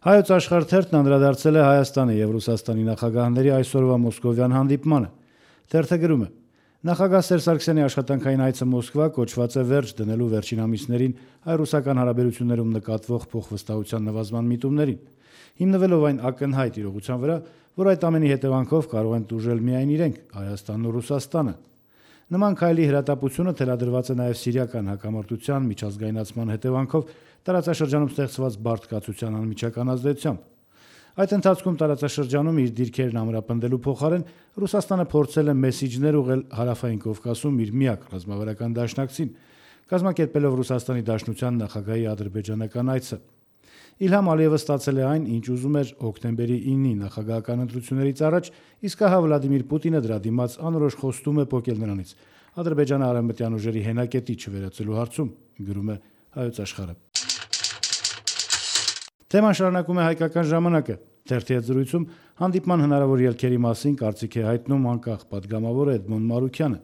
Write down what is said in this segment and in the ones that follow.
Հայոց աշխարհ թերթն անդրադարձել է Հայաստանի եւ Ռուսաստանի նախագահների այսօրվա մոսկովյան հանդիպմանը։ Թերթը գրում է. նախագահ Սերժ Սարգսյանի աշխատանքային այցը Մոսկվա կոչված է վերջ դնելու վերջին ամիսներին հայ-ռուսական հարաբերություններում նկատվող փոխվստահության նվազման միտումներին, հիմնվելով այն ակնհայտ իրողության վրա, որ այդ ամենի հետևանքով կարող են տուժել միայն իրենք, Հայաստանն ու Ռուսաստանը։ Նման քայլի հրատապությունը թելադրված է նաև սիրիական հակամարտության միջազգայնացման հետևանքով տարածաշրջանում ստեղծված բարդկացության անմիջական ազդեցությամբ։ Այդ ընթացքում տարածաշրջանում իր դիրքերն ամրապնդելու փոխարեն Ռուսաստանը փորձել է մեսիջներ ուղղել Հարավային Կովկասում իր միակ ռազմավարական դաշնակցին, կազմակերպելով Ռուսաստանի Դաշնության նախագահի ադրբեջանական այցը։ Իլհամ Ալիևը ստացել է այն, ինչ ուզում էր հոկտեմբերի 9-ի նախագահական ընտրություններից առաջ, իսկ ահա Վլադիմիր Պուտինը դրա դիմաց անորոշ խոստում է պոկել նրանից Ադրբեջանը արևմտյան ուժերի հենակետի չվերածելու հարցում, գրում է Հայոց աշխարհը։ Թեման շարունակում է Հայկական ժամանակը։ Թերթի հետ զրույցում հանդիպման հնարավոր ելքերի մասին կարծիք է հայտնում անկախ պատգամավոր Էդմոն Մարուքյանը։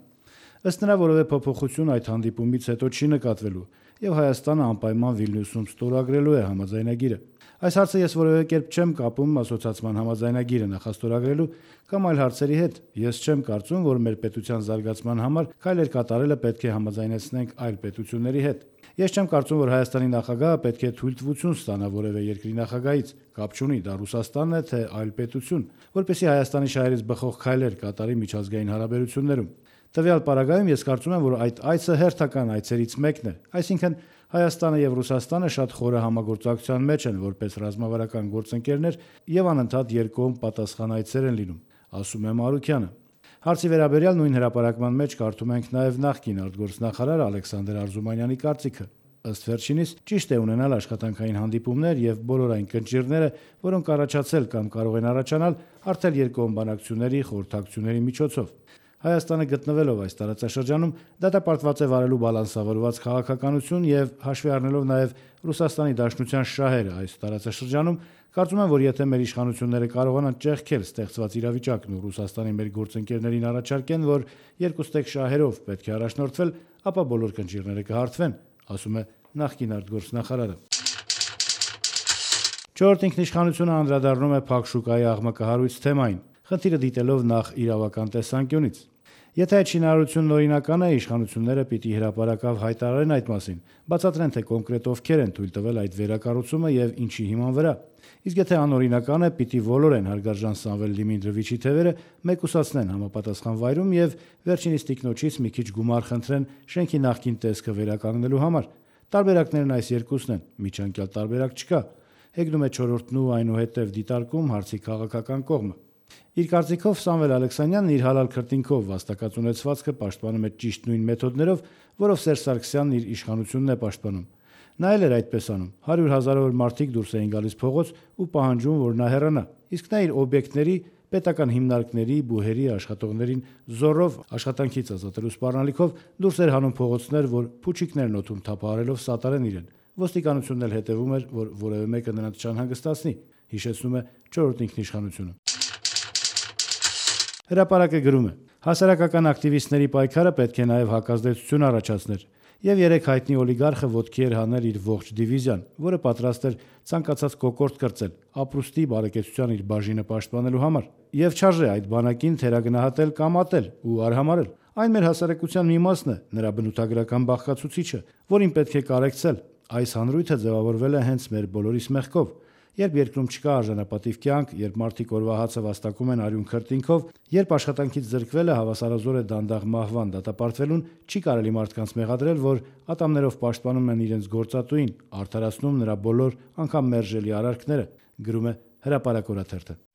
Ըստ նրա, որևէ փոփոխություն այդ հանդիպումից հետո չի նկատվելու, եւ Հայաստանը անպայման Վիլնյուսում ստորագրելու է համաձայնագիրը։ Այս հարցը ես որևէ կերպ չեմ կապում ասոցիացման համաձայնագիրը նախաստորագրելու կամ այլ հարցերի հետ։ Ես չեմ կարծում, որ մեր պետության զարգացման համար քայլեր կատարելը պետք է համաձայնեցնենք այլ պետությունների հետ։ Ես չեմ կարծում, որ Հայաստանի նախագահը պետք է թույլտվություն ստանա որևէ երկրի նախագահից, կապ չունի դա Ռուսաստանն է թե այլ պետություն, որպեսզի Հայաստանի շահերից բխող քայլեր կատարի միջազգային հարաբերություններում։ Տվյալ պարագայում ես կարծում եմ, որ այդ այցը հերթական այցերից մեկն է, այսինքն Հայաստանը եւ Ռուսաստանը շատ խորը համագործակցության մեջ են որպես ռազմավարական գործընկերներ եւ անընդհատ երկկողմ պատասխանայցեր են լինում, ասում է Մարուքյանը։ Հարցի վերաբերյալ նույն հրապարակման մեջ կարդում ենք նաև նախկին արտգործնախարար Ալեքսանդր Արզումանյանի կարծիքը։ Ըստ վերջինիս, ճիշտ է ունենալ աշխատանքային հանդիպումներ եւ բոլոր այն կնճիռները, որոնք առաջացել կամ կարող են առաջանալ արդեն երկկողմ բանակցությունների խորհրդակցությունների միջոցով։ Հայաստանը գտնվելով այս տարածաշրջանում դատապարտված է վարելու բալանսավորված քաղաքականություն եւ հաշվի առնելով նաեւ Ռուսաստանի Դաշնության շահերը այս տարածաշրջանում, կարծում եմ, որ եթե մեր իշխանությունները կարողանան ճեղքել ստեղծված իրավիճակն ու Ռուսաստանի մեր գործընկերներին առաջարկեն, որ երկուստեք շահերով պետք է առաջնորդվել, ապա բոլոր կնճիռները կհարթվեն, ասում է նախկին արտգործնախարարը։ Չորրորդ ինքնիշխանությունը անդրադառնում է փակ շուկայի աղմկահարույց թեմային, խնդիրը դիտելով նախ իրավական տեսանկյունից։ Եթե այդ շինարարությունն օրինական է, իշխանությունները պիտի հրապարակավ հայտարարեն այդ մասին, բացատրեն, թե կոնկրետ ովքեր են թույլ տվել այդ վերակառուցումը եւ ինչի հիման վրա։ Իսկ եթե անօրինական է, պիտի ոլորեն հարգարժան Սամվել Դիմիտրովիչի թևերը, մեկուսացնեն համապատասխան վայրում եւ վերջինիս տիկնոջից մի քիչ գումար խնդրեն շենքի նախկին տեսքը վերականգնելու համար։ Տարբերակներն այս երկուսն են, միջանկյալ տարբերակ չկա։ Հեգնում է չորրորդն ու այնուհետև դիտարկում հարցի քաղաքական կողմը։ Իր կարծիքով Սամվել Ալեքսանյանն իր հալալ քրտինքով վաստակած ունեցվածքը պաշտպանում է ճիշտ նույն մեթոդներով, որով Սերժ Սարգսյանն իր իշխանությունն է պաշտպանում։ Նա էլ էր այդպես անում։ 100,000-ավոր մարդիկ դուրս էին գալիս փողոց ու պահանջում, որ նա հեռանա։ Իսկ նա իր օբյեկտների, պետական հիմնարկների, բուհերի աշխատողներին զորով աշխատանքից ազատելու սպառնալիքով դուրս էր հանում փողոցներ, որ փուչիկներն օդում թափահարելով սատարեն իրեն։ Ոստիկանությունն էլ հետևում էր, որ որևէ մեկը նրանց չանհանգստացնի, հիշեցնում է չորրորդ ինքնիշխանությունը։ Հրապարակը գրում է. հասարակական ակտիվիստների պայքարը պետք է նաև հակազդեցություն առաջացներ, եւ երեք հայտնի օլիգարխը ոտքի էր հանել իր ողջ դիվիզիան, որը պատրաստ էր ցանկացած կոկորտ կրծել, ապրուստի բարեկեցության իր բաժինը պաշտպանելու համար, եւ չարժե այդ բանակին թերագնահատել կամ ատել ու արհամարել։ Այն մեր հասարակության մի մասն է, նրա բնութագրական բաղկացուցիչը, որին պետք է կարեկցել։ Այս հանրույթը ձևավորվել է հենց մեր բոլորիս մեղքով։ Երբ երկրում չկա արժանապատիվ կյանք, երբ մարդիկ օրվա հացը վաստակում են արյուն քրտինքով, երբ աշխատանքից զրկվելը հավասարազոր է դանդաղ մահվան դատապարտվելուն, չի կարելի մարդկանց մեղադրել, որ ատամներով պաշտպանում են իրենց գործատուին, արդարացնում նրա բոլոր անգամ մերժելի արարքները, գրում է Հրապարակ օրաթերթը։